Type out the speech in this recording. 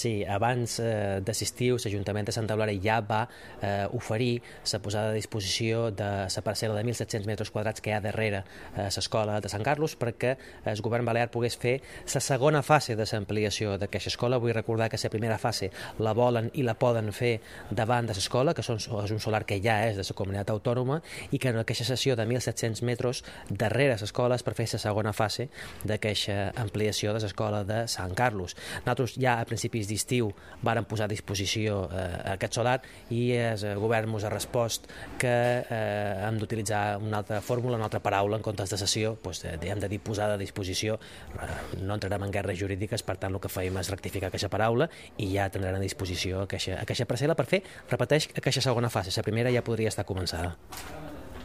Sí, abans d'assistir, l'Ajuntament de Santa Eulàlia ja va oferir la posada a disposició de la parcel·la de 1.700 metres quadrats que hi ha darrere l'escola de Sant Carlos perquè el govern balear pogués fer la segona fase de l'ampliació d'aquesta escola. Vull recordar que la primera fase la volen i la poden fer davant de l'escola, que és un solar que ja és de la comunitat autònoma, i que en aquesta sessió de 1.700 metres darrere l'escola és per fer la segona fase d'aquesta ampliació de l'escola de Sant Carlos. Nosaltres ja a principis d'estiu varen posar a disposició aquest solar i el govern ens ha respost que hem d'utilitzar una altra fórmula, una altra paraula en comptes de cessió, hem de dir posada a disposició. No entrarem en guerres jurídiques, per tant el que feim és rectificar aquesta paraula i ja tindran a disposició aquesta parcel·la per fer, repeteix, aquesta segona fase. La primera ja podria estar començada.